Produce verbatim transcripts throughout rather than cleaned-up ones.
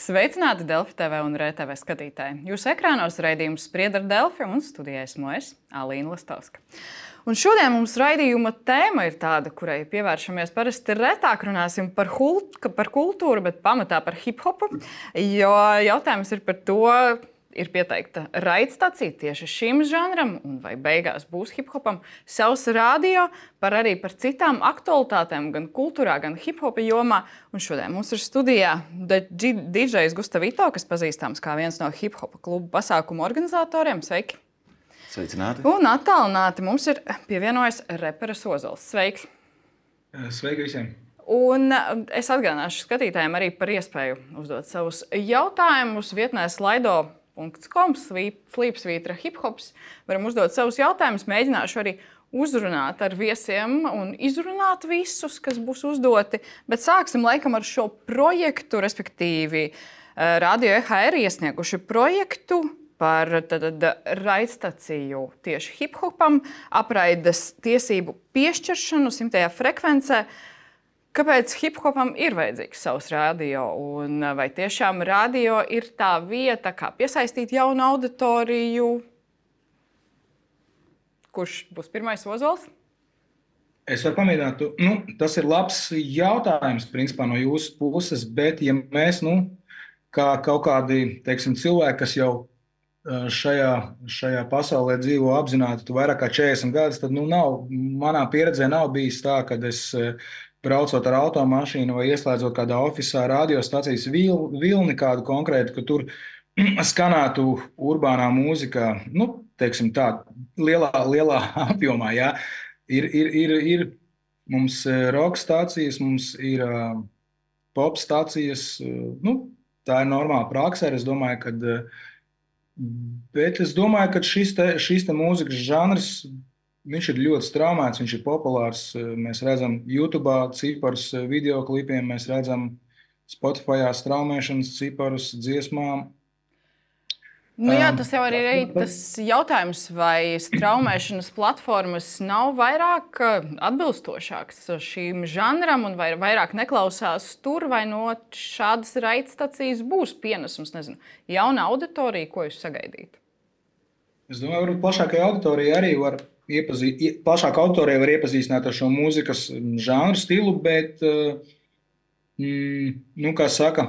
Sveicināti Delfi T V un R T V skatītāji. Jūsu ekrānos raidījums Spriedzi ar Delfi un studijā esmu es, Alīna Lastovska. Un šodien mums raidījuma tēma ir tāda, kurai pievēršamies parasti retāk, runāsim par, hult, par kultūru, bet pamatā par hip-hopu, jo jautājums ir par to, ir pieteikta raidstacija tieši šim žanram, un vai beigās būs hip-hopam savs radio, par arī par citām aktualitātēm, gan kultūrā, gan hip-hopa jomā. Un šodien mums ir studijā D Js Gustavito, kas pazīstams kā viens no hip-hopa klubu pasākumu organizatoriem. Sveiki! Sveicināti! Un attālināti mums ir pievienojis reperis Ozols. Sveiks! Sveiki visiem! Un es atgādināšu skatītājiem arī par iespēju uzdot savus jautājumus vietnē Slido. .com, slīpsvītra hiphops. Varam uzdot savus jautājumus, mēģināšu arī uzrunāt ar viesiem un izrunāt visus, kas būs uzdoti. Bet sāksim laikam ar šo projektu, respektīvi Radio E H R iesnieguši projektu par tad, raidstaciju tieši hiphopam, apraides tiesību piešķiršanu simtajā frekvencē. Kāpēc hip-hopam ir vajadzīgs savs radio, un vai tiešām radio ir tā vieta, kā piesaistīt jaunu auditoriju? Kurš būs pirmais, Ozols? Es varu pamēģināt. Nu, tas ir labs jautājums, principā, no jūsu puses, bet ja mēs, nu, kā kaut kādi, teiksim, cilvēki, kas jau šajā, šajā pasaulē dzīvo apzināti vairāk kā četrdesmit gadus, tad, nu, nav, manā pieredzē nav bijis tā, kad es braucot ar automašīnu vai ieslēdzot kādā ofisā radiostacijas vil, vilni kādu konkrētu, ka tur skanētu urbānā mūzika, nu, teiksim tā, lielā, lielā apjomā, jā. Ir, ir, ir, ir mums rock stācijas, mums ir uh, pop stācijas, uh, nu, tā ir normāla praksa, es domāju, kad, uh, bet es domāju, ka šis te, šis te mūzikas žanrs, viņš ir ļoti straumēts, viņš ir populārs. Mēs redzam YouTube ciparus videoklipiem, mēs redzam Spotify straumēšanas ciparus dziesmām. Nu jā, tas jau arī ir tas jautājums, vai straumēšanas platformas nav vairāk atbilstošāks šīm žanram un vai vairāk neklausās tur, vai no šādas raidstacijas būs pienesums, nezinu, jauna auditorija, ko jūs sagaidītu? Es domāju, varbūt plašākai auditorijai arī var Iepazīt, plašāk autorija var iepazīstināt ar šo mūzikas žanru stilu, bet, mm, nu, kā saka,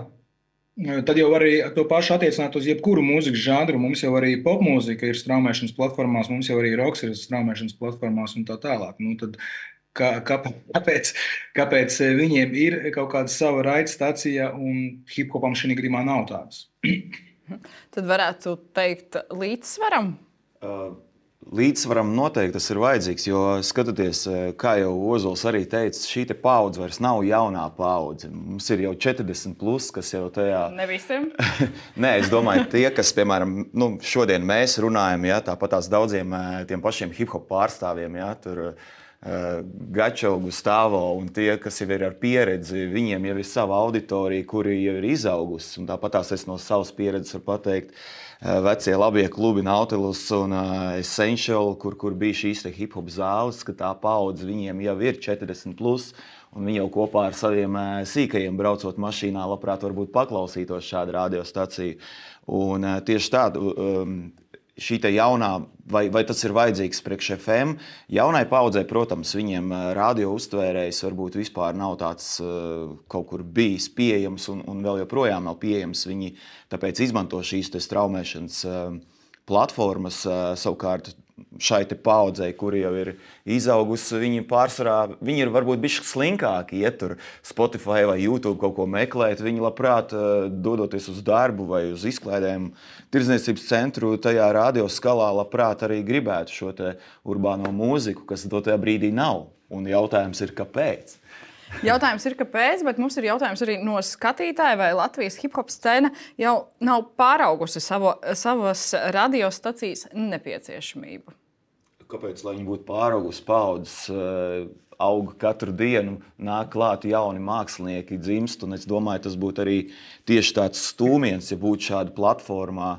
tad jau var arī to pašu attiecināt uz jebkuru mūzikas žanru. Mums jau arī popmūzika ir straumēšanas platformās, mums jau arī roks ir straumēšanas platformās un tā tālāk. Nu, tad kā, kā, kāpēc, kāpēc viņiem ir kaut kāda sava raidstacija un hiphopam šī gadījumā nav tādas? Tad varētu teikt līdzsvaram? Uh. Līdzsvaram noteikti tas ir vajadzīgs, jo skatoties, kā jau Ozols arī teica, šī te paudze vairs nav jaunā paudze. Mums ir jau četrdesmit plus, kas jau tajā... Ne visiem? Nē, es domāju, tie, kas, piemēram, nu, šodien mēs runājam, ja, tāpat tās daudziem tiem pašiem hip-hop pārstāvjiem, ja, tur uh, Gačo, Gustavo un tie, kas jau ir ar pieredzi, viņiem jau ir sava auditorija, kuri jau ir izaugusi. Un tāpat tās es no savas pieredzes varu pateikt, vecie labie klubi Nautilus un uh, Essential, kur, kur bija šīs te hip-hop zāles, ka tā paudze viņiem jau ir četrdesmit plus, un viņi jau kopā ar saviem uh, sīkajiem braucot mašīnā labprāt varbūt paklausītos šādu radiostaciju. Un uh, tieši tādu, um, šī te jaunā, vai, vai tas ir vajadzīgs priekš F M, jaunai paudzei, protams, viņiem radio uztvērējs varbūt vispār nav tāds uh, kaut kur bijis pieejams un, un vēl joprojām nav pieejams. Viņi tāpēc izmanto šīs te straumēšanas uh, platformas, uh, savukārt šai te paudzei, kuri jau ir izaugusi, viņi pārsvarā, viņi ir varbūt bišķi slinkāki, iet tur Spotify vai YouTube kaut ko meklēt, viņi labprāt dodoties uz darbu vai uz izklaidēm tirdzniecības centru, tajā radio skalā labprāt arī gribētu šo te urbāno mūziku, kas dotajā brīdī nav. Un jautājums ir, kāpēc? Jautājums ir, kāpēc, bet mums ir jautājums arī no skatītāja, vai Latvijas hip-hop scēna jau nav pāraugusi savo, savas radiostacijas nepieciešamību. Kāpēc, lai viņi būtu pāraugusi paudzes, auga katru dienu, nāk klāt jauni mākslinieki, dzimst, un es domāju, tas būtu arī tieši tāds stūmiens, ja būtu šāda platformā,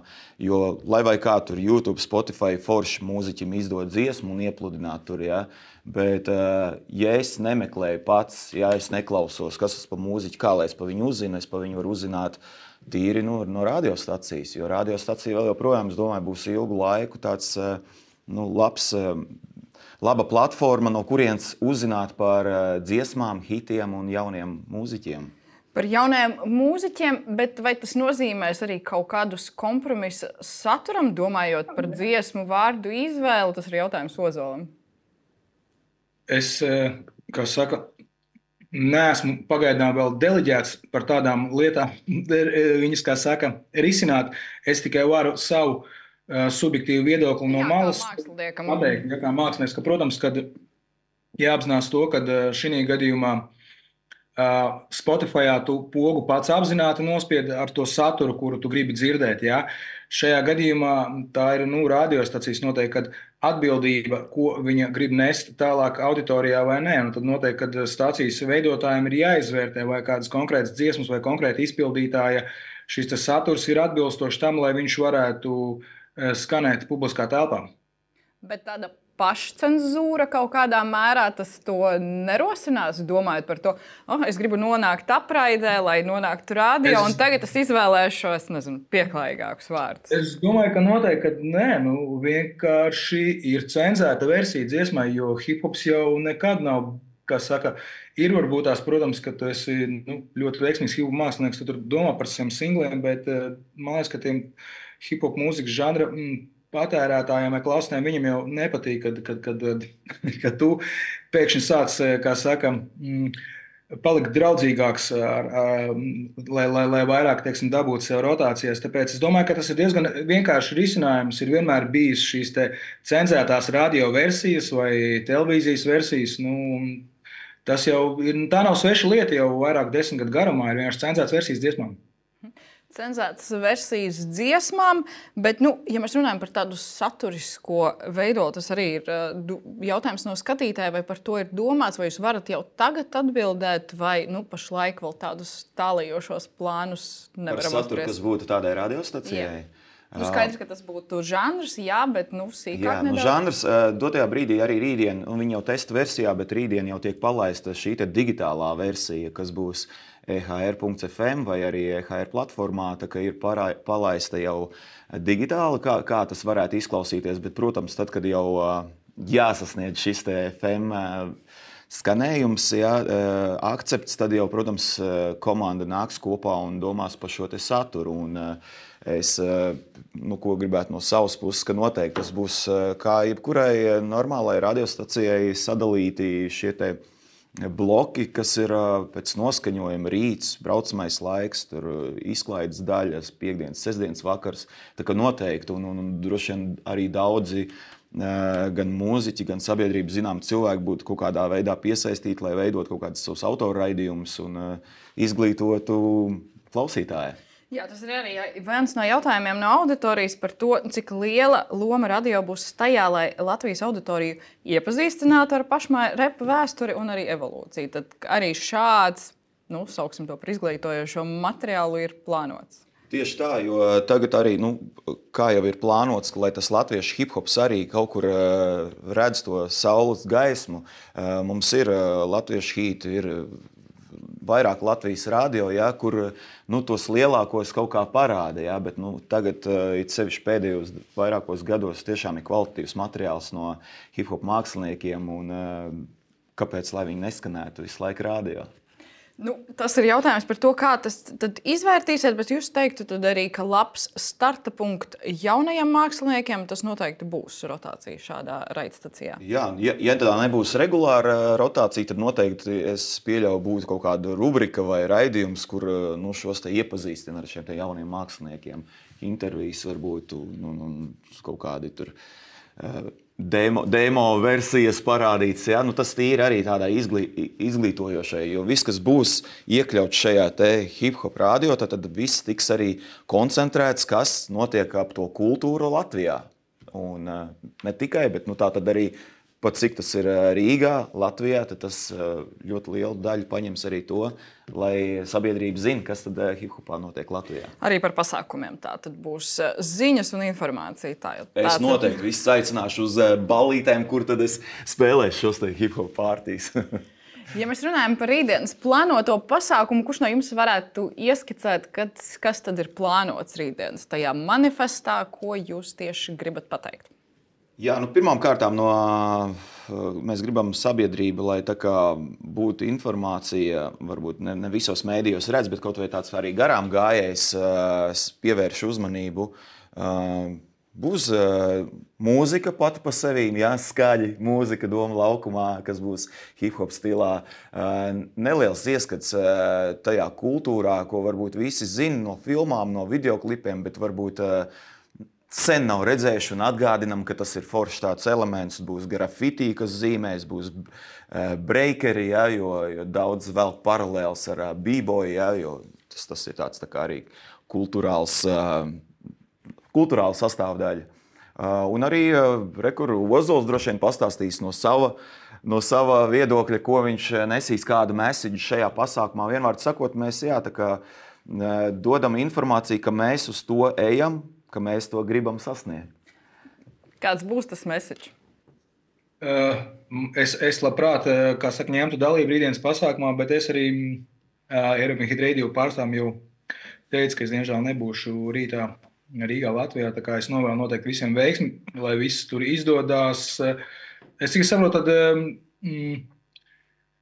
jo, lai vai kā tur YouTube, Spotify, forši mūziķim izdod dziesmu un iepludināt tur, ja, bet, ja es nemeklēju pats, ja es neklausos, kas tas pa mūziķi, kā lai es pa viņu uzzinu, es pa viņu varu uzzināt tīri no, no radiostacijas, jo radiostacija vēl joprojām, es domāju, būs ilgu laiku tāds nu, labs, laba platforma, no kurienes uzzināt par dziesmām, hitiem un jauniem mūziķiem. Par jauniem mūziķiem, bet vai tas nozīmēs arī kaut kādus kompromisa saturam, domājot par dziesmu vārdu izvēli? Tas ir jautājums Ozolam. Es, kā saka, neesmu pagaidām vēl deleģēts par tādām lietām, viņas, kā saka, risināt. Es tikai varu savu uh, subjektīvu viedokli no Jā, malas māksliniekam. pateikt, ja, kā mākslinieks, ka, protams, kad jāapzinās to, ka šī gadījumā uh, Spotifyā tu pogu pats apzināti nospied ar to saturu, kuru tu gribi dzirdēt. Ja. Šajā gadījumā tā ir nu, radiostacijas noteikti, kad atbildība, ko viņa grib nest tālāk auditorijā vai nē. Un tad noteikti, kad stācijas veidotājiem ir jāizvērtē, vai kādas konkrētas dziesmas vai konkrēta izpildītāja šis saturs ir atbilstošs tam, lai viņš varētu skanēt publiskā telpā. Bet tāda pašcenzūra kaut kādā mērā tas to nerosinās, domājot par to, oh, es gribu nonākt apraidē, lai nonāktu radio, es... un tagad es izvēlēšu, es nezinu, pieklājīgākus vārdus. Es domāju, ka noteikti, ka nē, nu, vienkārši ir cenzēta versija dziesmai, jo hip-hops jau nekad nav, kā saka, ir varbūt tās, protams, ka tu esi nu, ļoti veiksmīgs hip-hop mākslinieks, tu tur domā par saviem singliem, bet man liekas, ka tiem hip-hop mūzikas žanra mm, patērētājiem vai klausītājiem viņam jau nepatīk, kad, kad, kad, kad tu pēkšņi sāc, kā saka, palikt draudzīgāks, ar, ar, lai, lai, lai vairāk, teiksim, dabūtu sev rotācijas. Tāpēc es domāju, ka tas ir diezgan vienkārši risinājums. Ir vienmēr bijis šīs te cenzētās radio versijas vai televīzijas versijas. Nu, tas jau ir, tā nav sveša lieta jau vairāk desmit gadu garumā, ir vienkārši cenzētas versijas dziesmām. Cenzētas versijas dziesmām, bet, nu, ja mēs runājam par tādu saturisko veidotu, tas arī ir jautājums no skatītāja, vai par to ir domāts, vai jūs varat jau tagad atbildēt, vai nu, pašlaik vēl tādus tālajošos plānus nevaram apspriest. Par saturu, kas būtu tādai radiostacijai? Nu, skaidrs, ka tas būtu žanrs, jā, bet nu, sīkāk jā, nedaudz. Nu, žanrs dotajā brīdī arī rītdien, un viņi jau testa versijā, bet rītdien jau tiek palaista šī te digitālā versija, kas būs e ha er punkts ef em vai arī e ha er platformā, tā ka ir parā, palaista jau digitāli, kā, kā tas varētu izklausīties, bet, protams, tad, kad jau jāsasniedz šis te ef em skanējums, jā, akcepts, tad jau, protams, komanda nāks kopā un domās par šo te saturu. Un es, nu, ko gribētu no savas puses, ka noteikti tas būs kā jebkurai normālai radiostacijai sadalīti šie te bloki, kas ir pēc noskaņojuma rīts, braucamais laiks, tur izklaides daļas, piekdienas, sestdienas vakars. Tā kā noteikti, un, un, un droši vien arī daudzi gan mūziķi, gan sabiedrība zinām cilvēki būtu kaut kādā veidā piesaistīti, lai veidot kaut kādus savus autorraidījumus un izglītotu klausītāju. Jā, tas ir arī viens no jautājumiem no auditorijas par to, cik liela loma radio būs tajā, lai Latvijas auditoriju iepazīstinātu ar pašmāju repa vēsturi un arī evolūciju. Tad arī šāds, nu, sauksim to par izglītojošo materiālu, ir plānots. Tieši tā, jo tagad arī, nu, kā jau ir plānots, lai tas latviešu hip-hops arī kaut kur uh, redz to saules gaismu. Uh, mums ir uh, latviešu hīti, ir vairāk Latvijas radio, ja, kur nu, tos lielākos kaut kā parāda, ja, bet nu, tagad, it sevišķi pēdējos vairākos gados, tiešām ir kvalitatīvs materiāls no hip-hop māksliniekiem, un kāpēc, lai viņi neskanētu visu laiku radio? Nu, tas ir jautājums par to, kā tas tad izvērtīsiet, bet jūs teiktu tad arī, ka labs starta punkts jaunajiem māksliniekiem, tas noteikti būs rotācija šādā raidstacijā. Jā, ja, ja tā nebūs regulāra rotācija, tad noteikti es pieļauju būtu kaut kāda rubrika vai raidījums, kur nu, šos te iepazīstina ar šiem te jauniem māksliniekiem. Intervijas varbūt, nu, nu, kaut kādi tur Demo, demo versijas parādīts, ja? Nu, tas ir arī tādā izglī, izglītojošai, jo viss, kas būs iekļauts šajā te hip-hop radio, tad, tad viss tiks arī koncentrēts, kas notiek ap to kultūru Latvijā. Un ne tikai, bet nu, tā tad arī pat cik tas ir Rīgā, Latvijā, tad tas ļoti lielu daļu paņems arī to, lai sabiedrība zina, kas tad hip-hopā notiek Latvijā. Arī par pasākumiem tā tad būs ziņas un informācija. Tā, tā, es noteikti visus aicināšu uz ballītēm, kur tad es spēlēšu šos te hip-hop pārtīs. Ja mēs runājam par rītdienas plānoto pasākumu, kurš no jums varētu ieskicēt, kad, kas tad ir plānots rītdienas tajā manifestā, ko jūs tieši gribat pateikt? Jā, nu, pirmām kārtām no, mēs gribam sabiedrību, lai tā kā būtu informācija, varbūt ne, ne visos mēdījos redz, bet kaut vai tāds arī garām gājējs pievērš uzmanību. Būs uh, mūzika pati pa sevīm, jā, skaļi mūzika Doma laukumā, kas būs hip-hop stilā. Uh, neliels ieskats uh, tajā kultūrā, ko varbūt visi zina no filmām, no videoklipiem, bet varbūt uh, sen nav redzējuši un atgādinam, ka tas ir foršs tāds elements. Būs grafitī, kas zīmēs, būs uh, breakeri, jā, jo, jo daudz vēl paralēls ar uh, b-boy, jā, jo tas, tas ir tāds tā kā arī kultūrāls uh, kultūrāla sastāvdaļa. Uh, un arī uh, rekur Ozols droši vien pastāstīs no sava, no sava viedokļa, ko viņš nesīs, kādu message šajā pasākumā. Vienvārds sakot, mēs jā, tā kā, uh, dodam informāciju, ka mēs uz to ejam, ka mēs to gribam sasniegt. Kāds būs tas message? Uh, es, es labprāt, kā saka, ņemtu dalību rītdienas pasākumā, bet es arī uh, Eiropas Hit Radio pārstāvam jau teicu, ka es diemžēl nebūšu rītā Rīgā, Latvijā, tā kā es novēlu noteikti visiem veiksmi, lai viss tur izdodās. Es tikai saprotu, tad mm,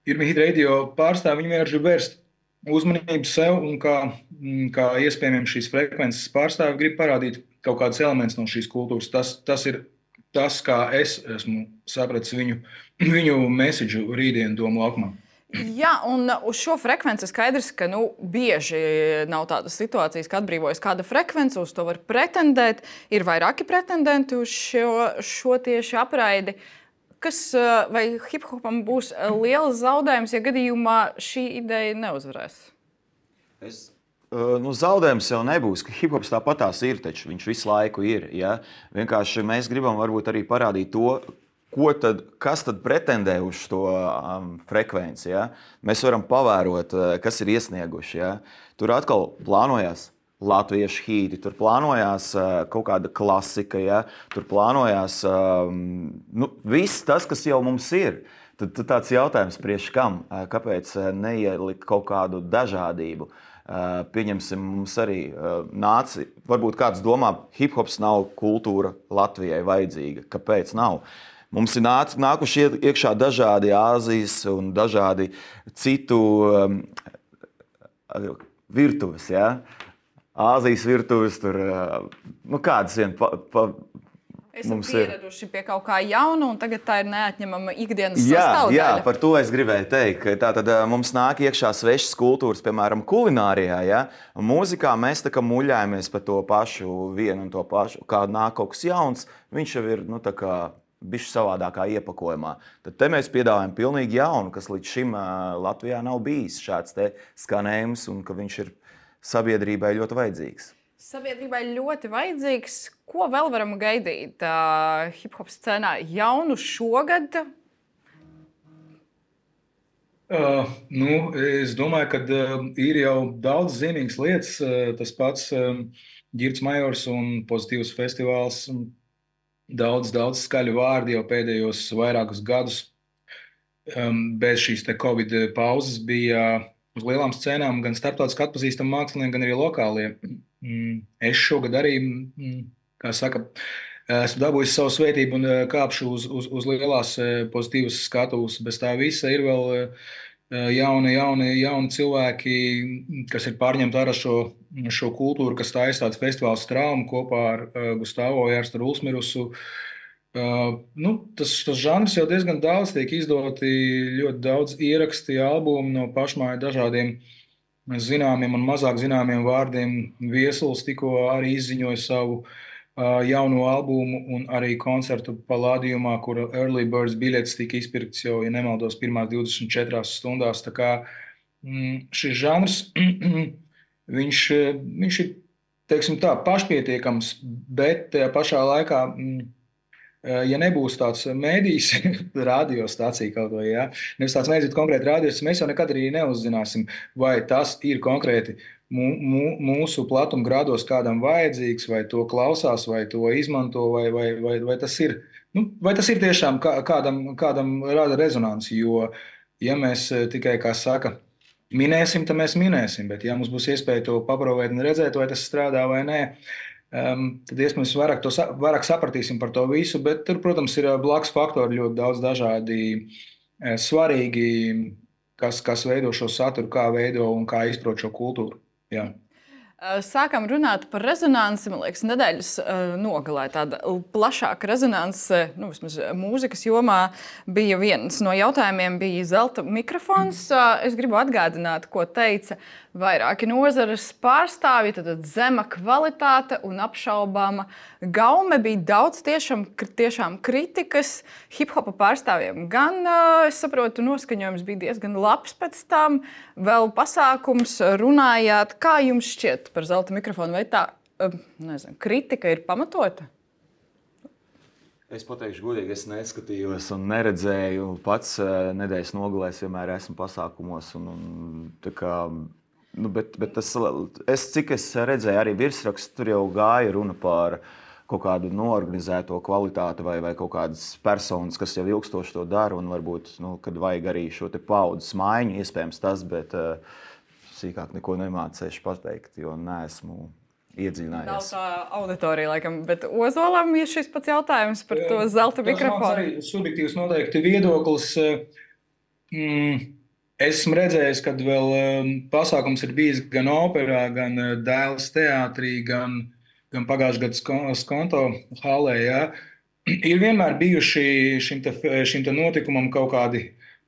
Irmi Hit Radio pārstāvi, viņi vienkārši vērst uzmanību sev un kā, mm, kā iespējamiem šīs frekvences pārstāvi grib parādīt kaut kādus elementus no šīs kultūras. Tas, tas ir tas, kā es esmu sapratis viņu, viņu message rītdienu Doma laukumā. Jā, un uz šo frekvenci skaidrs, ka nu, bieži nav tādas situācijas, ka atbrīvojas kāda frekvence, uz to var pretendēt. Ir vairāki pretendenti uz šo, šo tieši apraidi. Kas vai hip-hopam būs liels zaudējums, ja gadījumā šī ideja neuzvarēs? Es, nu, zaudējums jau nebūs, ka hip-hops tāpatās ir, taču viņš visu laiku ir. Ja? Vienkārši mēs gribam varbūt arī parādīt to, Ko tad, kas tad pretendē uz to um, frekvenci? Ja? Mēs varam pavērot, kas ir iesnieguši. Ja? Tur atkal plānojās latviešu hīti, tur plānojās uh, kaut kāda klasika, ja? Tur plānojās um, nu, viss tas, kas jau mums ir. Tad, tad tāds jautājums priekš kam? Kāpēc neielikt kaut kādu dažādību? Uh, pieņemsim, mums arī uh, nāci, varbūt kāds domā, hip-hops nav kultūra Latvijai vajadzīga. Kāpēc nav? Mums ir nāc, nākuši iekšā dažādi Āzijas un dažādi citu um, virtuves. Ja? Āzijas virtuves, tur uh, nu kādas vien pa, pa, Esam pieraduši ir. Pie kaut kā jauna, un tagad tā ir neatņemama ikdienas jā, sastāvdaļa. Jā, par to es gribēju teikt. Tātad mums nāk iekšā svešas kultūras, piemēram, kulinārijā. Ja? Mūzikā mēs tā kā muļājamies par to pašu, vienu un to pašu. Kā nāk kaut kas jauns, viņš jau ir, nu, tā kā bišķi savādākā iepakojumā. Tad te mēs piedāvājam pilnīgi jaunu, kas līdz šim Latvijā nav bijis šāds te skanējums, un ka viņš ir sabiedrībai ļoti vajadzīgs. Sabiedrībai ļoti vajadzīgs. Ko vēl varam gaidīt uh, hip-hop scēnā jaunu šogad? Uh, nu, es domāju, ka uh, ir jau daudz zīmīgas lietas. Uh, tas pats uh, Ģirds Majors un Pozitīvs festivāls. Daudz, daudz skaļu vārdi jau pēdējos vairākus gadus. Um, bez šīs te Covid pauzes bija uz lielām scēnām gan starptautiski atpazīstami mākslinieki, gan arī lokālie. Mm, es šogad arī, mm, kā saka, esmu dabūjis savu svētību un kāpšu uz, uz, uz lielās Pozitīvas skatuves. Bez tā visa ir vēl jauni, jauni, jauni cilvēki, kas ir pārņemti ar šo, šo kultūru, kas taisa tāds festivāls Traumu kopā ar uh, Gustavo Jārstu Rulsmirusu. Uh, nu, tas, tas žanrs jau diezgan daudz tiek izdoti, ļoti daudz ieraksti, albumi no pašmāju dažādiem zināmiem un mazāk zināmiem vārdiem. Viesuls tikko arī izziņoja savu uh, jauno albumu un arī koncertu Palādījumā, kur Early Birds biļetes tika izpirkts jau, ja nemaldos, pirmās divdesmit četrās stundās. Tā kā mm, šis žanrs, viņš, viņš ir, teiksim tā, pašpietiekams, bet tajā pašā laikā, mm, ja nebūs tāds mēdījis, radiostacija kaut vai, ja? Nevis tāds mēdījis, bet konkrēti radiostacija, mēs jau nekad arī neuzzināsim, vai tas ir konkrēti mūsu platuma grādos kādam vajadzīgs, vai to klausās, vai to izmanto, vai, vai, vai, vai, tas, ir, nu, vai tas ir tiešām kādam, kādam rada rezonanci, jo Ja mēs tikai, kā saka, minēsim, tad mēs minēsim, bet ja mums būs iespēja to paprovēt un redzēt, vai tas strādā vai nē, um, tad iespējams vairāk, to, vairāk sapratīsim par to visu, bet tur, protams, ir blakus faktori ļoti daudz dažādi svarīgi, kas, kas veido šo saturu, kā veido un kā izprot šo kultūru. Jā. Sākām runāt par rezonanci. Man liekas, nedēļas nogalē tāda plašāka rezonance, nu, vismaz mūzikas jomā, bija viens no jautājumiem, bija zelta mikrofons. Es gribu atgādināt, ko teica vairāki nozares pārstāvji. Tad zema kvalitāte un apšaubāma gaume, bija daudz tiešām, tiešām kritikas hip-hopa pārstāvjiem. Gan, es saprotu, noskaņojums bija diezgan labs pēc tam, vēl pasākums runājāt. Kā jums šķiet par zelta mikrofonu? Vai tā, nezinu, kritika ir pamatota? Es pateikšu godīgi, es neskatījos un neredzēju. Pats nedēļas nogalēs vienmēr esmu pasākumos. Un, un, tā kā, nu, bet, bet tas, es, cik es redzēju, arī virsrakstu, tur jau gāja runa par kaut kādu noorganizēto kvalitāti vai, vai kaut kādas personas, kas jau ilgstoši to dara. Un varbūt, nu, kad vajag arī šo te paudzes maiņu, iespējams tas, bet uh, sīkāk neko nemācēšu pateikt, jo neesmu iedziļinājies. Nav tā auditorija, laikam, bet Ozolam ir šis pats jautājums par to zelta mikrofonu. Tas arī subjektīvs noteikti viedoklis. Mm, esmu redzējis, kad vēl pasākums ir bijis gan operā, gan Dēles teātrī, gan, gan pagājušajā gadā Skonto halē. Ja? Ir vienmēr bijuši šim te, šim te notikumam kaut kādi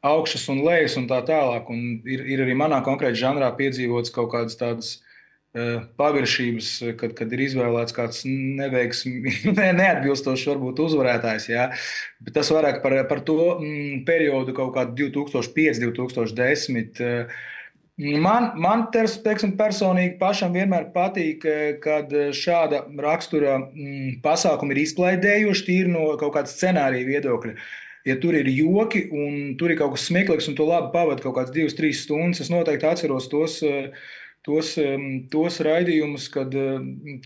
augšas un lejas un tā tālāk. Un ir, ir arī manā konkrēti žanrā piedzīvots kaut kādas tādas paviršības, kad, kad ir izvēlēts kāds neveiksmi, ne, neatbilstošs varbūt uzvarētājs. Jā. Bet tas vairāk par, par to mm, periodu kaut kādu divi tūkstoši pieci, divi tūkstoši desmit. Man, man teiksim, personīgi pašam vienmēr patīk, kad šāda rakstura mm, pasākumi ir izklaidējuši tīri no kaut kāda scenārija viedokļa. Ja tur ir joki un tur ir kaut kas smieklīgs un tu labi pavadi kaut kāds divas, trīs stundas, es noteikti atceros tos Tos, tos raidījumus, kad,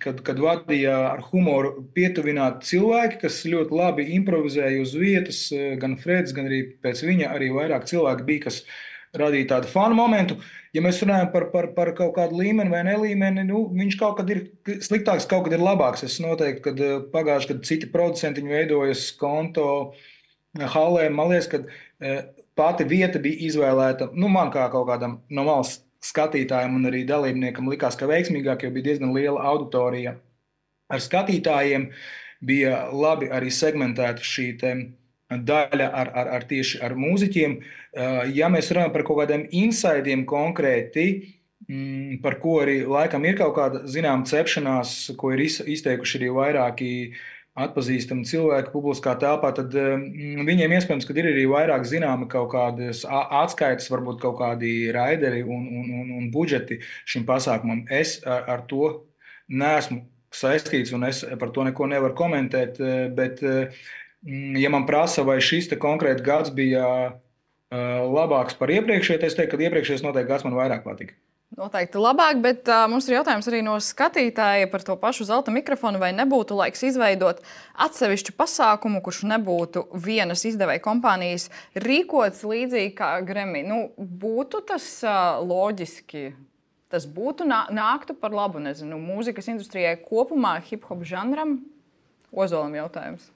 kad, kad vadīja ar humoru pietuvināti cilvēki, kas ļoti labi improvizēja uz vietas, gan Freds, gan arī pēc viņa arī vairāk cilvēki bija, kas radīja tādu fanu momentu. Ja mēs runājam par, par, par kaut kādu līmeni vai nelīmeni, nu, viņš kaut kad ir sliktāks, kaut kad ir labāks. Es noteikti, kad pagājuši, kad citi producenti veidojas Skonto halē, man liekas, kad pati vieta bija izvēlēta, nu, man kā kaut kādam no malas skatītājiem un arī dalībniekam likās, ka veiksmīgāk, jo bija diezgan liela auditorija ar skatītājiem, bija labi arī segmentēta šī te daļa ar, ar, ar tieši ar mūziķiem. Ja mēs runājam par kaut kādiem insaidiem konkrēti, par ko arī laikam ir kaut kāda zinām cepšanās, ko ir izteikuši arī vairāki atpazīstami cilvēki publiskā telpā, tad mm, viņiem iespējams, ka ir arī vairāk zināmi kaut kādas atskaites, varbūt kaut kādi raideri un, un, un, un budžeti šim pasākumam. Es ar, ar to neesmu saistīts un es par to neko nevaru komentēt, bet mm, ja man prasa, vai šis te konkrēti gads bija uh, labāks par iepriekšēju, es teiktu, ka iepriekšējais noteikti gads man vairāk patika. Noteikti labāk, bet uh, mums ir jautājums arī no skatītāja par to pašu zelta mikrofonu. Vai nebūtu laiks izveidot atsevišķu pasākumu, kurš nebūtu vienas izdevēja kompānijas rīkots līdzīgi kā Grammy? Nu, būtu tas uh, loģiski, tas būtu nā, nāktu par labu, nezinu, mūzikas industrijai kopumā, hip-hop žanram? Ozolam jautājums.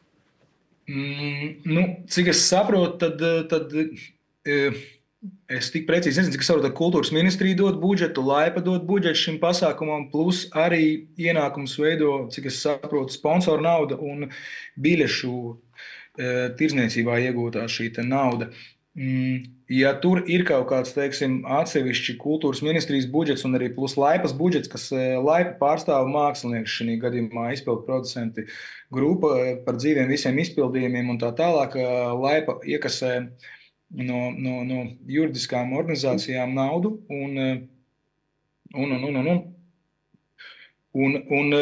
Mm, nu, cik es saprotu, tad... tad uh, Es tik precīzi nezinu, cik es saprotu, ka kultūras ministrija dod budžetu, Laipa dod budžetu šim pasākumam, plus arī ienākums veido, cik es saprotu, sponsoru nauda un biļešu e, tirdzniecībā iegūtā šī te nauda. Mm, ja tur ir kaut kāds, teiksim, atsevišķi kultūras ministrijas budžets un arī plus Laipas budžets, kas e, Laipa pārstāv mākslinieks šī gadījumā izpildu producenti grupa par dzīviem visiem izpildījumiem un tā tālāk, Laipa iekasē No, no, no juridiskām organizācijām naudu un, un, un, un, un, un, un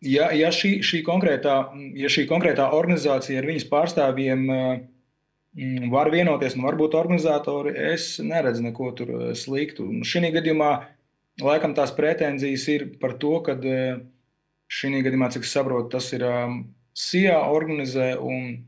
ja, ja, šī, šī konkrētā, ja šī konkrētā organizācija ar viņas pārstāvjiem var vienoties un varbūt organizatori, es neredzu neko tur sliktu. Šī gadījumā laikam tās pretenzijas ir par to, ka šī gadījumā, cik es saprotu, tas ir S I A organizē un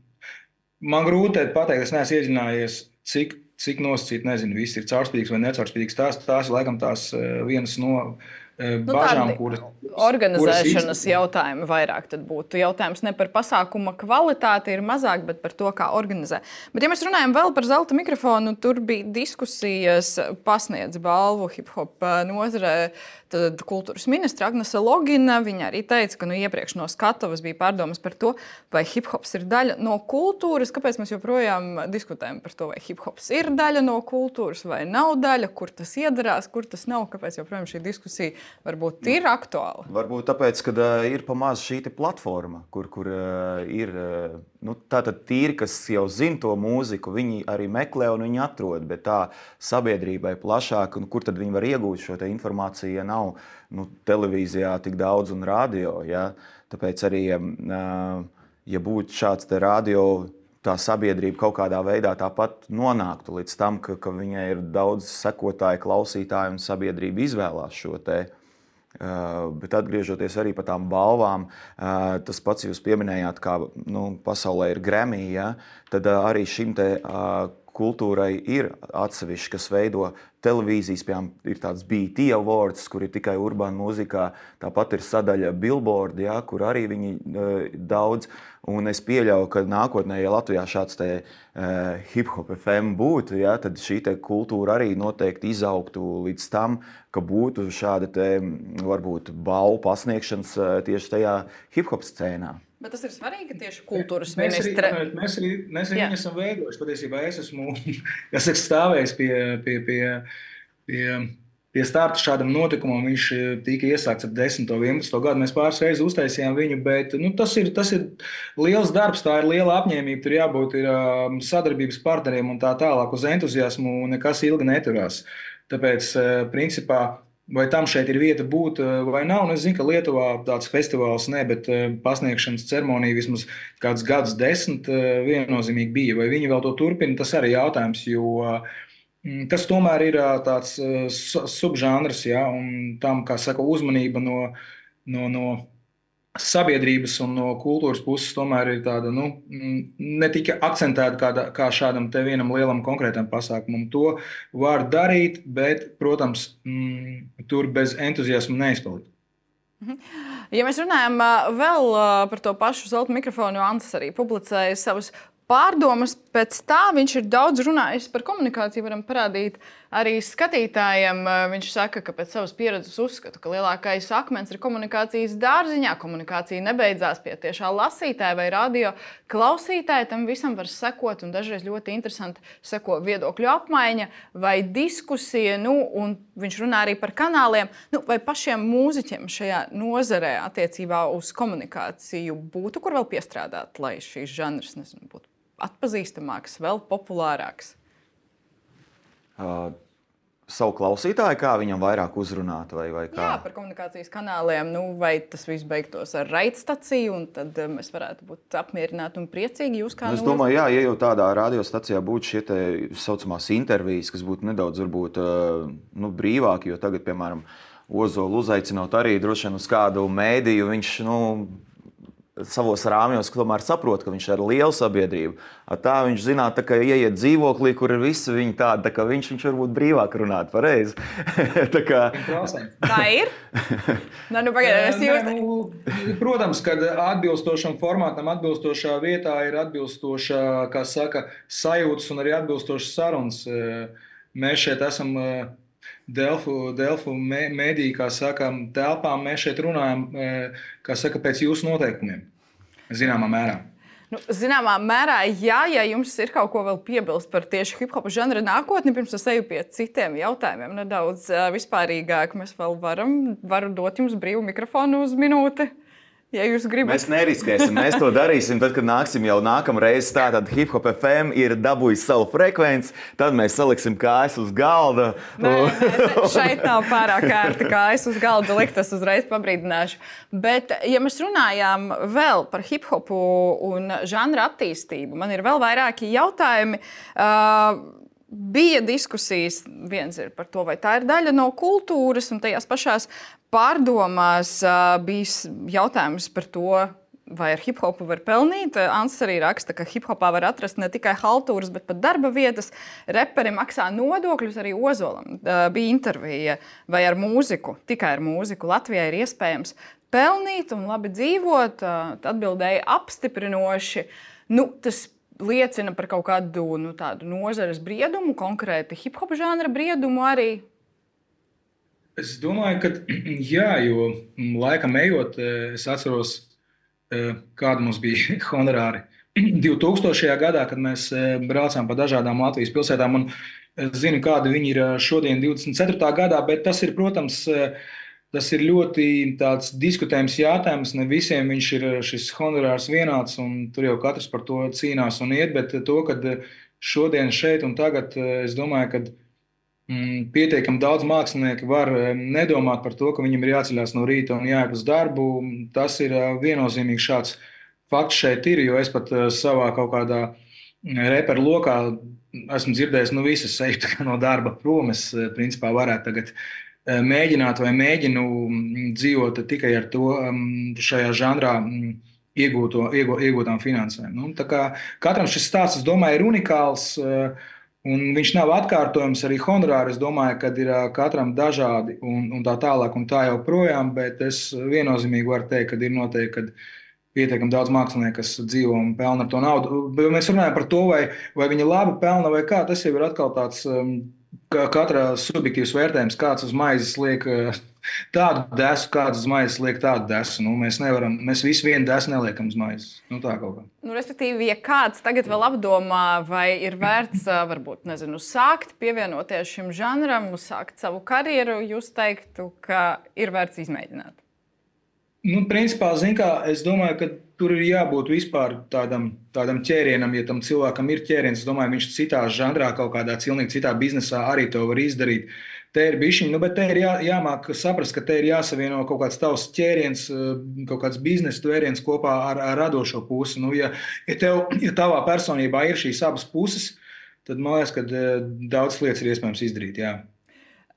man grūti pateikt, es neesmu iedziļinājies, cik, cik nosacīt, nezinu, viss ir caurspīdīgs vai necaurspīdīgs. Tās, tās ir laikam tās vienas no Nu, bažām, kuras. Organizēšanas kuras jautājumi vairāk tad būtu. Jautājums ne par pasākuma kvalitāti ir mazāk, bet par to, kā organizē. Bet, ja mēs runājam vēl par zelta mikrofonu, tur bija diskusijas, pasniedz balvu hip-hop nozarē. Tad kultūras ministra Agnese Logina, viņa arī teica, ka nu, iepriekš no skatuves bija pārdomas par to, vai hip-hops ir daļa no kultūras. Kāpēc mēs joprojām diskutējam par to, vai hip-hops ir daļa no kultūras vai nav daļa, kur tas iedarās, kur tas nav, kāpēc joprojām šī diskusija varbūt ir aktuāla? Varbūt tāpēc, ka uh, ir pamaz šī platforma, kur, kur uh, ir uh, nu, tātad tīri, kas jau zina to mūziku, viņi arī meklē un viņi atrod, bet tā sabiedrībai plašāk, un kur tad viņi var iegūt šo te informāciju, ja nav nu, televīzijā tik daudz un radio. Ja? Tāpēc arī, uh, ja būtu šāds te radio, tā sabiedrība kaut kādā veidā tāpat nonāktu līdz tam, ka, ka viņai ir daudz sekotāju, klausītāju un sabiedrība izvēlās šo te. Uh, bet atgriežoties arī par tām balvām, uh, tas pats jūs pieminējāt, kā nu, pasaulē ir Grammy, ja? Tad uh, arī šim te uh, kultūrai ir atsevišķi, kas veido televīzijas, piemēram, ir tāds B E T Awards, kur ir tikai urbāna mūzikā, tāpat ir sadaļa Billboard, ja, kur arī viņi uh, daudz, un es pieļauju, ka nākotnē, ja Latvijā šāds te uh, hip-hop F M būtu, ja, tad šī te kultūra arī noteikti izaugtu līdz tam, ka būtu šāda te, varbūt, balvu pasniegšanas uh, tieši tajā hip-hop scēnā. Bet tas ir svarīgi, ka tieši kultūras mēs ministre... Arī, mēs arī, mēs arī viņu esam veidojuši. Patiesībā es esmu esmu stāvējis pie, pie, pie, pie, pie starta šādam notikumam. Viņš tika iesākts ap desmito, vienpadsmito gadu. Mēs pāris reizes uztaisījām viņu, bet nu, tas, ir, tas ir liels darbs, tā ir liela apņēmība. Tur jābūt ir, sadarbības partneriem un tā tālāk. Uz entuziasmu nekas ilgi neturās. Tāpēc, principā, vai tam šeit ir vieta būt vai nav. Un es zinu, ka Lietuvā tāds festivāls ne, bet pasniegšanas ceremonija vismaz kāds gadus desmit viennozīmīgi bija. Vai viņi vēl to turpina, tas arī jautājums, jo tas tomēr ir tāds subžanrs, ja, un tam, kā saka, uzmanība no, no, no sabiedrības un no kultūras puses tomēr ir tāda, nu, ne tikai akcentēta kā, kā šādam te vienam lielam konkrētam pasākumam. To var darīt, bet, protams, mm, tur bez entuziasma neizpalikt. Ja mēs runājam vēl par to pašu zelta mikrofonu, Antis arī publicēja savus pārdomas. Pēc tā viņš ir daudz runājis par komunikāciju. Varam parādīt arī skatītājiem. Viņš saka, ka pēc savas pieredzes uzskata, ka lielākais akmens ir komunikācijas dārziņā. Komunikācija nebeidzās pie tiešā lasītāja vai radio klausītāja. Tam visam var sekot, un dažreiz ļoti interesanti seko viedokļu apmaiņa vai diskusija. Nu, un viņš runā arī par kanāliem. Nu, vai pašiem mūziķiem šajā nozarē attiecībā uz komunikāciju būtu kur vēl piestrādāt, lai šīs žanrs, nezinu, būtu atpazīstamāks, vēl populārāks? Uh, savu klausītāju, kā viņam vairāk uzrunāt, vai, vai kā? Jā, par komunikācijas kanāliem, nu, vai tas viss beigtos ar raidstaciju, un tad mēs varētu būt apmierināti un priecīgi. Jūs kā nu, es domāju, jā, ja jau tādā radiostacijā būtu šie te saucamās intervijas, kas būtu nedaudz varbūt nu, brīvāki, jo tagad, piemēram, Ozolu uzaicinot arī droši vien uz kādu mēdīju, viņš, nu, savos rāmjos, tomēr saprot, ka viņš ir liela sabiedrība. Tā viņš zināt, tā, ka ieiet dzīvoklī, kur ir visi viņi tādi, tā kā viņš, viņš varbūt brīvāk runāt pareizi. tā kā... Tā ir? Nā, nu, pagaidām, es jūs... nu, protams, kad atbilstošam formātam, atbilstošā vietā ir atbilstošā, kā saka, sajūtas un arī atbilstošas sarunas. Mēs šeit esam Delfu, Delfu mēdī, kā saka, telpām, mēs šeit runājam, kā saka, pēc jūsu noteikumiem, zināmā mērā. Nu, zināmā mērā, jā, ja jums ir kaut ko vēl piebilst par tieši hip-hopa žanra nākotni, pirms es eju pie citiem jautājumiem, nedaudz vispārīgāk, mēs vēl varam, varu dot jums brīvu mikrofonu uz minūti. Ja jūs gribat. Mēs neriskēsim, mēs to darīsim, tad, kad nāksim jau nākamreiz tā, tad Hip-Hop F M ir dabūjis savu frekvenci, tad mēs saliksim kājas uz galda. Nē, nē, šeit nav pārāk ērti kājas uz galda likt, es uzreiz pabrīdināšu. Bet, ja mēs runājām vēl par hip-hopu un žanra attīstību, man ir vēl vairāki jautājumi. Uh, Bija diskusijas, viens ir par to, vai tā ir daļa no kultūras, un tajās pašās pārdomās uh, bija jautājums par to, vai ar hip-hopu var pelnīt. Ants arī raksta, ka hip-hopā var atrast ne tikai haltūras, bet pat darba vietas. Reperi maksā nodokļus, arī Ozolam bija intervija. Vai ar mūziku, tikai ar mūziku Latvijā ir iespējams pelnīt un labi dzīvot? Atbildēja apstiprinoši. Nu, tas liecina par kaut kādu nu, tādu nozares briedumu, konkrēti hip-hop žanra briedumu arī. Es domāju, ka jā, jo laikam ejot, es atceros, kāda mums bija honorāri divtūkstošajā gadā, kad mēs braucām pa dažādām Latvijas pilsētām. Un es zinu, kāda viņi ir šodien divdesmit ceturtajā gadā, bet tas ir, protams, tas ir ļoti tāds diskutējums jautājums. Ne visiem viņš ir šis honorārs vienāds, un tur jau katrs par to cīnās un iet, bet to, kad šodien šeit un tagad, es domāju, ka pietiekami daudz mākslinieki var nedomāt par to, ka viņam ir jāceļās no rīta un jāiet uz darbu. Tas ir viennozīmīgi šāds fakts šeit ir, jo es pat savā kaut kādā reperu lokā esmu dzirdējis, nu visas eju no darba prom. Es principā varētu tagad mēģināt vai mēģinu dzīvot tikai ar to šajā žanrā iegūto, iegū, iegūtām finansēm. Nu, tā kā katram šis stāsts, es domāju, ir unikāls. Un viņš nav atkārtojams arī honorāri. Es domāju, ka ir katram dažādi un, un tā tālāk un tā joprojām, bet es viennozīmīgi varu teikt, ka ir noteikti, ka pietiekami daudz mākslinieku, kas dzīvo un pelna to naudu. Bet mēs runājam par to, vai, vai viņi labi pelna vai kā. Tas jau ir atkal tāds katra subjektīvs vērtējums, kāds uz maizes liek tādu desu, kāds uz maizes liek tādu desu. Nu, mēs nevaram, mēs visi vienu desu neliekam uz maizes. Nu, tā kaut kā. Nu, respektīvi, ja kāds tagad vēl apdomā, vai ir vērts, varbūt, nezinu, sākt pievienoties šim žanram, sākt savu karjeru, jūs teiktu, ka ir vērts izmēģināt? Nu, principā, zin kā, es domāju, ka tur ir jābūt vispār tādam, tādam ķērienam, ja tam cilvēkam ir ķēriens. Es domāju, viņš citā žanrā, kaut kādā cilnīgi citā biznesā arī to var izdarīt. Te ir bišķiņi, nu, bet te ir jā, jāmāk saprast, ka te ir jāsavieno kaut kāds tavs ķēriens, kaut kāds biznesa tvēriens kopā ar, ar radošo pusi. Nu, ja, ja, tev, ja tavā personībā ir šīs abas puses, tad man liekas, ka daudz lietas ir iespējams izdarīt, jā.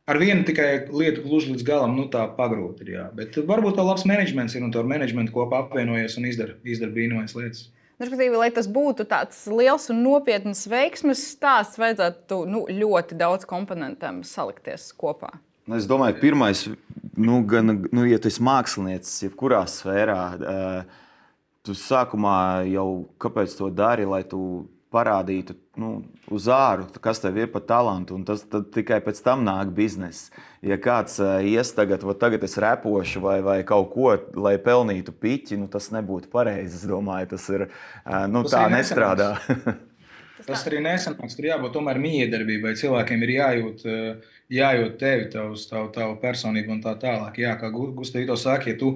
Ar vienu tikai lietu gluži līdz galam, nu tā pagrūti ir, jā. Bet varbūt tev labs menedžments ir un to ar menedžmentu kopā apvienojies un izdara, izdara brīnumains lietas. Respektīvi, lai tas būtu tāds liels un nopietns veiksmes stāsts, vajadzētu nu, ļoti daudz komponentiem salikties kopā. Es domāju, pirmais, nu, gan, nu, ja tu esi māksliniecis, jebkurā sfērā, tu sākumā jau kāpēc to dari, lai tu parādītu nu, uz āru, kas tev ir par talantu, un tas tikai pēc tam nāk bizness. Ja kāds uh, ies tagad, vai tagad es repošu vai, vai kaut ko, lai pelnītu piķi, nu, tas nebūtu pareizi, es domāju, tas ir, uh, nu, tas tā nestrādā. Tas arī nesanāks, tur jābūt tomēr miedarbībai, cilvēkiem ir jājūt, jājūt tevi, tavs, tavu, tavu personību un tā tālāk. Jā, kā Gustav to saka, ja tu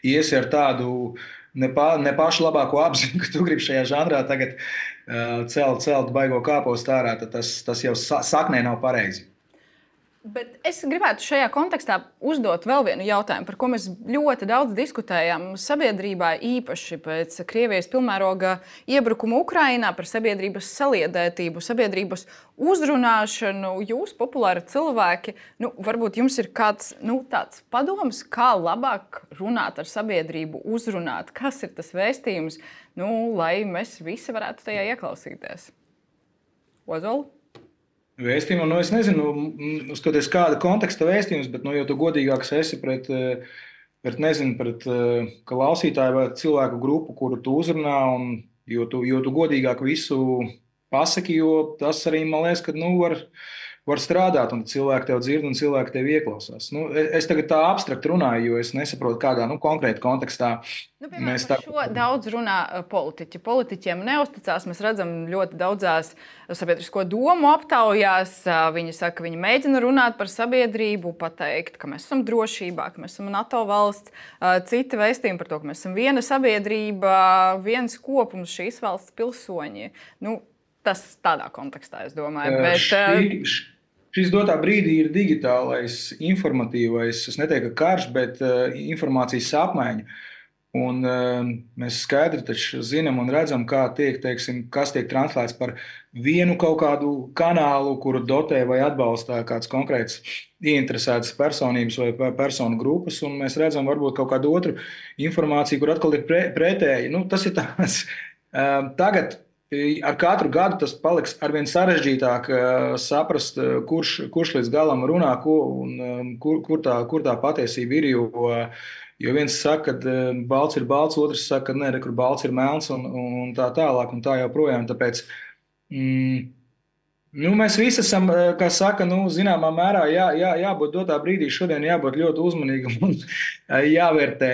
iesi ar tādu ne, pa, ne pašu labāko apziņu, ka tu gribi šajā žanrā tagad uh, celt, celt baigo kāpostu ārā, tad tas, tas jau saknē nav pareizi. Bet es gribētu šajā kontekstā uzdot vēl vienu jautājumu, par ko mēs ļoti daudz diskutējam sabiedrībā, īpaši pēc Krievijas pilnmēroga iebrukuma Ukrainā, par sabiedrības saliedētību, sabiedrības uzrunāšanu. Jūs, populāri cilvēki, nu, varbūt jums ir kāds nu, tāds padoms, kā labāk runāt ar sabiedrību, uzrunāt, kas ir tas vēstījums, nu, lai mēs visi varētu tajā ieklausīties. Ozola? Vēstījumu, nu es nezinu, skatoties kāda konteksta vēstījums, bet, nu, jo tu godīgāks esi pret, pret nezinu, pret klausītāju vai cilvēku grupu, kuru tu uzrunā, un jo tu, jo tu godīgāk visu pasaki, jo tas arī, man liekas, ka, nu, var, var strādāt, un cilvēki tev dzird, un cilvēki tev ieklausās. Nu, es tagad tā abstrakt runāju, jo es nesaprotu, kādā, nu, konkrēti kontekstā. Nu, piemēram, mēs tā... Šo daudz runā politiķi. Politiķiem neusticās. Mēs redzam ļoti daudzās sabiedrisko domu aptaujās. Viņi saka, ka viņi mēģina runāt par sabiedrību, pateikt, ka mēs esam drošībā, ka mēs esam NATO valsts. Citi vēstījumi par to, ka mēs esam viena sabiedrība, viens kopums, šīs valsts pilsoņi. Nu, tas tādā kontekstā, es domāju. Bet, šī, šis dotā brīdī ir digitālais, informatīvais, es neteiktu, ka karš, bet informācijas apmaiņa. Un, uh, mēs skaidri taču zinām un redzam, kā tiek, teiksim, kas tiek translēts par vienu kaut kādu kanālu, kuru dotē vai atbalsta kāds konkrēts ieinteresētas personības vai personu grupas, un mēs redzam varbūt kaut kādu otru informāciju, kur atkal ir pre, pretēji. Nu, tas ir tāds uh, tagad. Ar katru gadu tas paliks arvien sarežģītāk saprast, kurš, kurš līdz galam runā, ko, un kur, kur, tā, kur tā patiesība ir. Jo, jo viens saka, ka balts ir balts, otrs saka, ka nē, kur balts ir melns, un, un tā tālāk, un tā joprojām. Tāpēc mm, nu, mēs visi esam, kā saka, nu, zināmā mērā jā, jā, jābūt dotā brīdī. Šodien jābūt ļoti uzmanīgam un jāvērtē,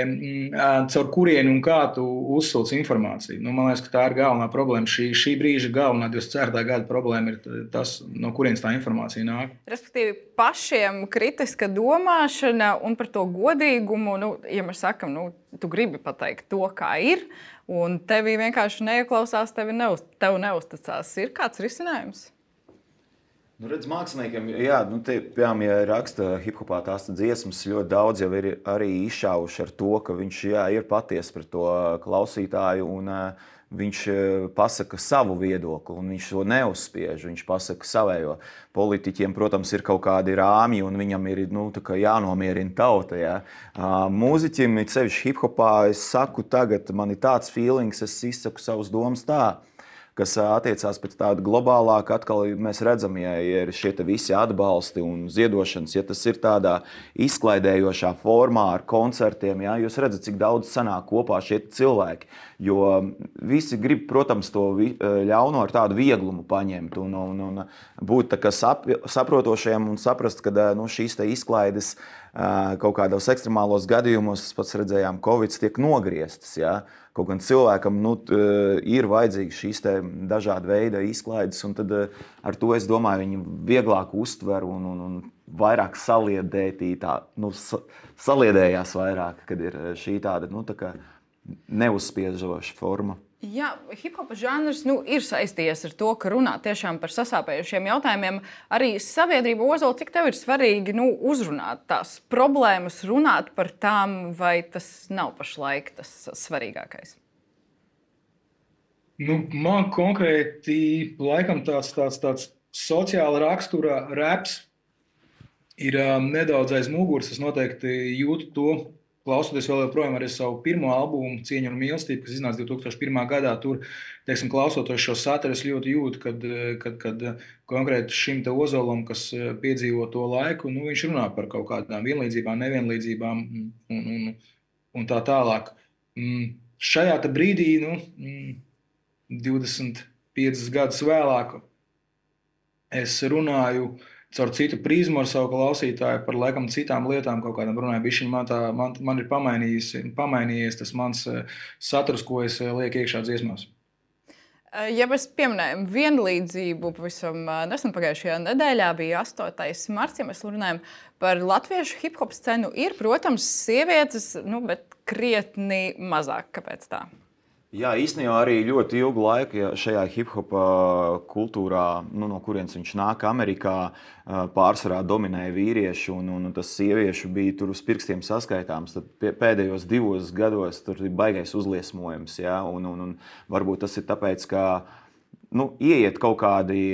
caur kurienu un kā tu uzsūc informāciju. Nu, man liekas, ka tā ir galvenā problēma. Šī, šī brīža galvenā divdesmit ceturtā gada problēma ir tas, no kurienes tā informācija nāk. Respektīvi, pašiem kritiska domāšana un par to godīgumu, nu, ja mēs sakam, nu, tu gribi pateikt to, kā ir, un tevi vienkārši neieklausās, tevi neuz, tev neuzticās. Ir kāds risinājums? Nu, redz, māksliniekiem, jā, nu, te, piemēram, ja raksta hip-hopā tās dziesmas, ļoti daudz jau ir arī izšāvuši ar to, ka viņš, jā, ir patiesi pret to klausītāju, un uh, viņš pasaka savu viedokli, un viņš to neuzspiež, viņš pasaka savējo. Politiķiem, protams, ir kaut kādi rāmji, un viņam ir, nu, tā kā jānomierina tauta, jā. Uh, mūziķim, it sevišķi hip-hopā, es saku tagad, man ir tāds feelings, es izsaku savus domas tā, kas attiecās pēc tāda globālāka, atkal mēs redzam, ja ir šie visi atbalsti un ziedošanas, ja tas ir tādā izklaidējošā formā ar koncertiem, ja, jūs redzat, cik daudz sanāk kopā šie cilvēki, jo visi grib, protams, to ļauno ar tādu vieglumu paņemt un, un, un būt tā kā sap, saprotošiem un saprast, ka nu, šīs te izklaides kaut kādos ekstremālos gadījumos, pats redzējām, Covid tiek nogrieztas, ja. Kaut gan cilvēkam nu, ir vajadzīgas šīs dažāda veida izklaides, un tad ar to, es domāju, viņi vieglāk uztver un, un, un vairāk saliedētī, tā, nu, sa, saliedējās vairāk, kad ir šī tāda nu, tā kā neuzspiežoša forma. Jā, hip-hopa žanrs nu, ir saistījies ar to, ka runā tiešām par sasāpējušiem jautājumiem. Arī sabiedrība, Ozol, cik tev ir svarīgi nu, uzrunāt tās problēmas, runāt par tām, vai tas nav pašlaik tas svarīgākais? Nu, man konkrēti laikam tāds, tāds, tāds sociāla rakstura raps ir um, nedaudz aiz muguras. Es noteikti jūtu to. Klausoties vēl joprojām arī savu pirmo albumu Cieņa un mīlestība, kas iznāca divi tūkstoši pirmā gadā, tur, teiksim, klausoties šo saturu, es ļoti jūtu, kad, kad, kad konkrēti šim te Ozolam, kas piedzīvo to laiku, nu, viņš runā par kaut kādām vienlīdzībām, nevienlīdzībām un, un, un tā tālāk. Šajā te brīdī, nu, divdesmit piecus gadus vēlāk, es runāju caur citu prizmu ar savu klausītāju par laikam citām lietām, kaut kādām runāju. Bišķiņ man, tā, man, man ir pamainījies tas mans saturs, ko es lieku iekšā dziesmās. Ja mēs pieminējam vienlīdzību, pavisam nesen pagājušajā nedēļā bija astotais marts, ja mēs runājam par latviešu hip-hop scenu, ir, protams, sievietes, nu, bet krietni mazāk. Kāpēc tā? Jā, īstenībā arī ļoti ilgu laiku ja šajā hip-hopa kultūrā, nu, no kurienes viņš nāk Amerikā, pārsvarā dominēja vīrieši, un, un tas sieviešu bija tur uz pirkstiem saskaitāms. Tad pēdējos divos gados tur ir baigais uzliesmojums, ja, un, un, un varbūt tas ir tāpēc, ka nu, ieiet kaut kādi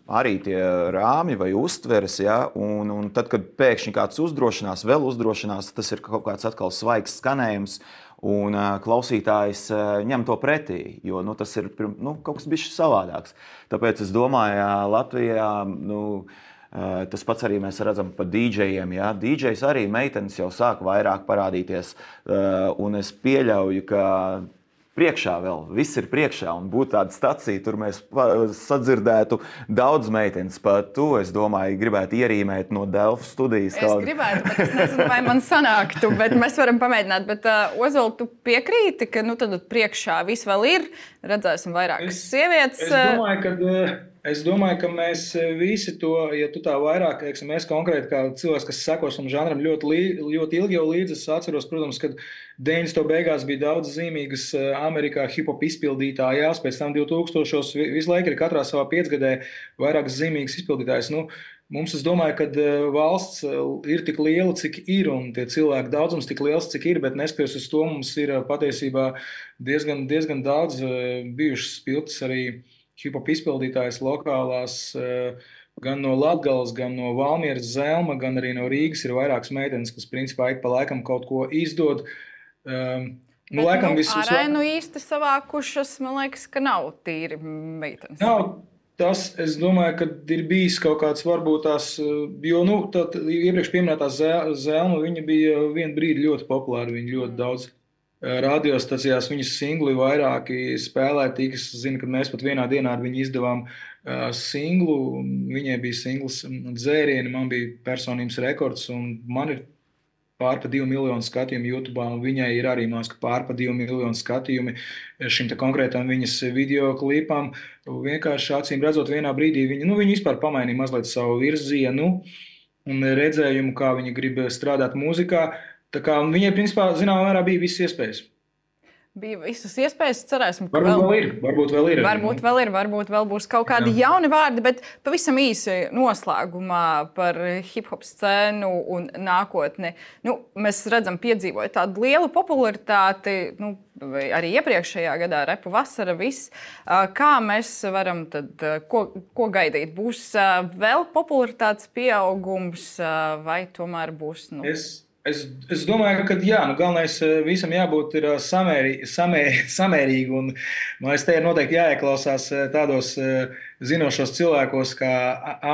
arī tie rāmi vai uztveres, ja, un, un tad, kad pēkšņi kāds uzdrošinās, vēl uzdrošinās, tas ir kaut kāds atkal svaigs skanējums, un uh, klausītājs uh, ņem to pretī, jo nu, tas ir nu, kaut kas bišķi savādāks. Tāpēc es domāju, ja Latvijā nu, uh, tas pats arī mēs redzam par dīdžejiem. Ja? Dīdžejs arī meitenes jau sāk vairāk parādīties, uh, un es pieļauju, ka priekšā vēl, viss ir priekšā, un būtu tāda stacija, tur mēs sadzirdētu daudz meitenes. Pat tu, es domāju, gribētu ierīmēt no Delfu studijas. Es kaut... gribētu, bet es nezinu, vai man sanāktu, bet mēs varam pamēģināt. Bet, uh, Ozol, tu piekrīti, ka nu, tad priekšā viss vēl ir, redzēsim vairākas es, sievietes. Es domāju, ka... Es domāju, ka mēs visi to, ja tu tā vairāk, teiksim, mēs konkrēti kā cilvēks, kas sekos un žanram ļoti, li, ļoti ilgi jau līdzi, es atceros, protams, kad deviņdesmito beigās bija daudz zīmīgas Amerikā hip-hop izpildītājās, pēc tam divtūkstošos visu laiku ir katrā savā piecgadē vairākas zīmīgas izpildītājas. Nu, Mums, es domāju, ka valsts ir tik liela, cik ir, un tie cilvēku daudzums tik liels, cik ir, bet neskatoties uz to, mums ir patiesībā diezgan, diezgan daudz bijušas spilgtas arī hip-hop izpildītājas lokālās, gan no Latgales, gan no Valmieras, Zelma, gan arī no Rīgas ir vairākas meitenes, kas principā ik pa laikam kaut ko izdod. Um, Bet, nu, laikam, nu, arēnu īsti savākušas, man liekas, ka nav tīri meitenes. Nav. Tas, es domāju, ka ir bijis kaut kāds varbūt tās, jo, nu, tā iepriekš pieminētā Zelma, viņa bija vienu brīdi ļoti populāra, viņa ļoti daudz radiostacijās, viņas singli vairāki spēlē, tīk, es zinu, ka mēs pat vienā dienā ar viņu izdevām uh, singlu, viņai bija singls Dzērieni, man bija personības rekords, un man ir pār pa divu miljonu skatījumu YouTube, un viņai ir arī māska pār pa divu miljonu skatījumi šim te konkrētam viņas video klipam. Vienkārši acīm redzot vienā brīdī, viņa, nu, viņa vispār pamainīja mazliet savu virzienu un redzējumu, kā viņa grib strādāt mūzikā. Tā kā viņai, principā, zināmā mērā bija visas iespējas. Bija visas iespējas, cerēsim, ka varbūt vēl, vēl ir. Varbūt vēl ir. Varbūt vēl ir, varbūt vēl būs kaut kādi Jā. jauni vārdi, bet pavisam īsi noslēgumā par hip-hop scēnu un nākotni. Nu, mēs redzam, piedzīvojot tādu lielu popularitāti, nu, arī iepriekšējā gadā, repu vasara, viss. Kā mēs varam tad, ko, ko gaidīt? Būs vēl popularitātes pieaugums vai tomēr būs? Nu... Es... Es, es domāju, ka jā, nu, galvenais visam jābūt ir samērī, samēr, samērīgi, un man liekas, te ir noteikti jāieklausās tādos zinošos cilvēkos kā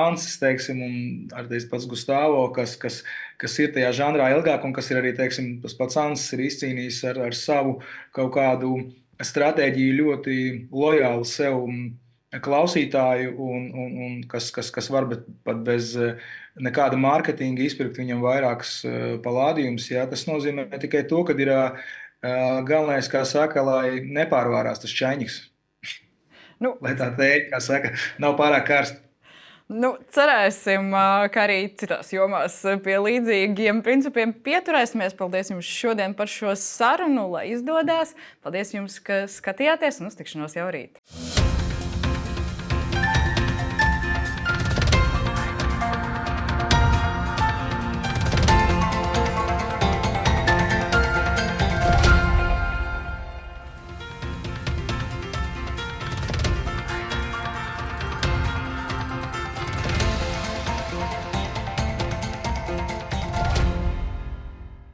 Ansis, teiksim, un arī pats Gustavo, kas, kas, kas ir tajā žanrā ilgāk, un kas ir arī, teiksim, tas pats Ansis ir izcīnījis ar, ar savu kaut kādu stratēģiju ļoti lojālu sev klausītāju, un, un, un kas, kas, kas var bet, pat bez nekāda mārketinga izpirkt viņam vairākas palādījumus. Jā, tas nozīmē tikai to, ka ir uh, galvenais, kā saka, lai nepārvārās tas čaņiks. Nu, lai tā teikt, kā saka, nav pārāk karsts. Nu, cerēsim, ka arī citās jomās pie līdzīgiem principiem pieturēsimies. Paldies jums šodien par šo sarunu, lai izdodas. Paldies jums, ka skatījāties, un uz tikšanos jau rīt.